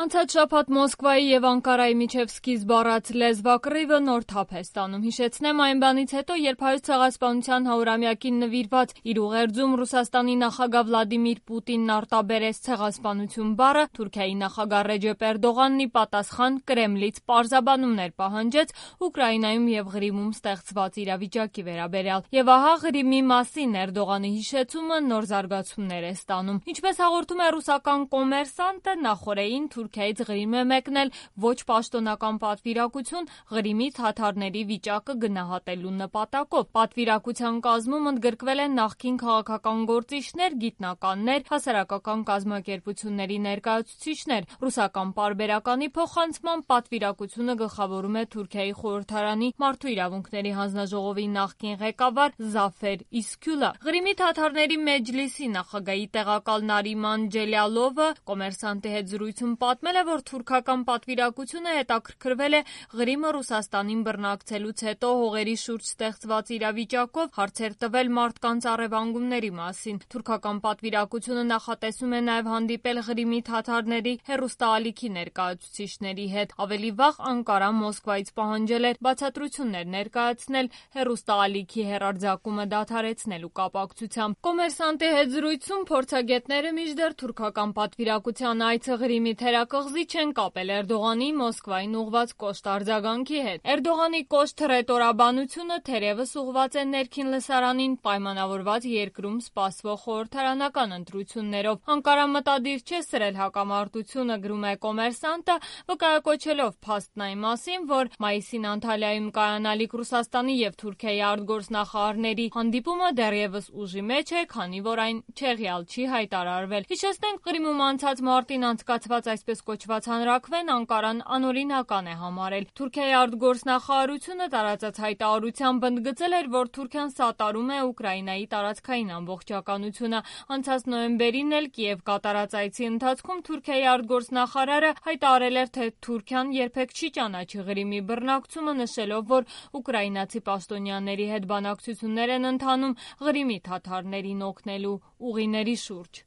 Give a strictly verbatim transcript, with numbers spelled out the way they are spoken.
Անցած շաբաթ Մոսկվայի եւ Անկարայի միջև սկիզբ առած լեզվակռիվը նոր թափ է ստանում։ Հիշեցնեմ այն բանից հետո, երբ Հայոց ցեղասպանության հարյուրամյակին նվիրված իր ուղերձում Ռուսաստանի նախագահ Վլադիմիր Պուտինն արտաբերեց ցեղասպանություն բառը, Թուրքիայի նախագահ Ռեջեփ Էրդողանն ի պատասխան Կրեմլից պարզաբանումներ պահանջեց Ուկրաինայում եւ Ղրիմում ստեղծված իրավիճակի վերաբերյալ։ Եվ ահա Ղրիմի մասին Էրդողանի հիշեցումը նոր զարգացումներ է ստանում։ Ինչպես հաղորդում է ռուսական Կոմերսանտը, նախորդին Թուրքիայից Ղրիմ է մեկնել ոչ պաշտոնական պատվիրակություն Ղրիմի թաթարների վիճակը գնահատելու նպատակով։ Պատվիրակության կազմում ընդգրկվել են նախկին քաղաքական գործիչներ, գիտնականներ, հասարակական կազմակերպությունների ներկայացուցիչներ։ Ռուսական պարբերականի փոխանցմամբ պատվիրակությունը գլխավորում է Թուրքիայի խորհրդարանի մարդու իրավունքների հանձնաժողովի նախկին ղեկավար Զաֆեր Իսքյուլը։ Ղրիմի թաթարների մեջլիսի նախագահի տեղակալ Նարիման Ջելյալովը Կոմերսանտի հետ զրույցում պատմել է, որ թուրքական պատվիրակությունը հետաքրքրվել է Ղրիմը Ռուսաստանին բռնակցելուց հետո հողերի շուրջ ստեղծված իրավիճակով, հարցեր տվել մարդկանց առևանգումների մասին։ Թուրքական պատվիրակությունը նախատեսում է նաև հանդիպել Ղրիմի թաթարների հեռուստաալիքի ներկայացուցիչների հետ։ Ավելի վաղ Անկարան Մոսկվայից պահանջել էր բացատրություններ ներկայացնել հեռուստաալիքի հեռարձակումը դադարեցնելու կապակցությամբ։ Կոմերսանտի հետ զրույցում փորձագետները մինչդեռ թուրքական պատվիրակության այցը Ղրիմի թերակղզի չեն կապել Էրդողանի Մոսկվային ուղղված կոշտ արձագանքի հետ։ Էրդողանի կոշտ հռետորաբանությունը թերևս ուղղված է ներքին լսարանին պայմանավորված երկրում սպասվող խորհրդարանական ընտրություններով։ Անկարան մտադիր չէ սրել հակամարտությունը, գրում է Կոմերսանտը, վկայակոչելով փաստն այն մասին, որ մայիսին Անտալիայում կայանալիք Ռուսաստանի եւ Թուրքիայի արտգործնախարարների հանդիպումը դեռևս ուժի մեջ է, քանի որ այն չեղյալ չի հայտարարվել։ Հիշեցնենք, Ղրիմում անցած մարտին անցկացված այսպես կոչված հանրաքվեն Անկարան անօրինական է համարել։ Թուրքիայի արտգործնախարարությունը տարածած հայտարարությամբ ընդգծել էր, որ Թուրքիան սատարում է Ուկրաինայի տարածքային ամբողջականությունը։ Անցած նոյեմբերին էլ Կիև կատարած այցի ընթացքում Թուրքիայի արտգործնախարարը հայտարարել էր, թե Թուրքիան երբեք չի ճանաչի Ղրիմի բռնակցումը, նշելով, որ ուկրաինացի պաշտոնյաների հետ բանակցություններ են ընթանում Ղրիմի թաթարներին օգնելու ուղիների շուրջ։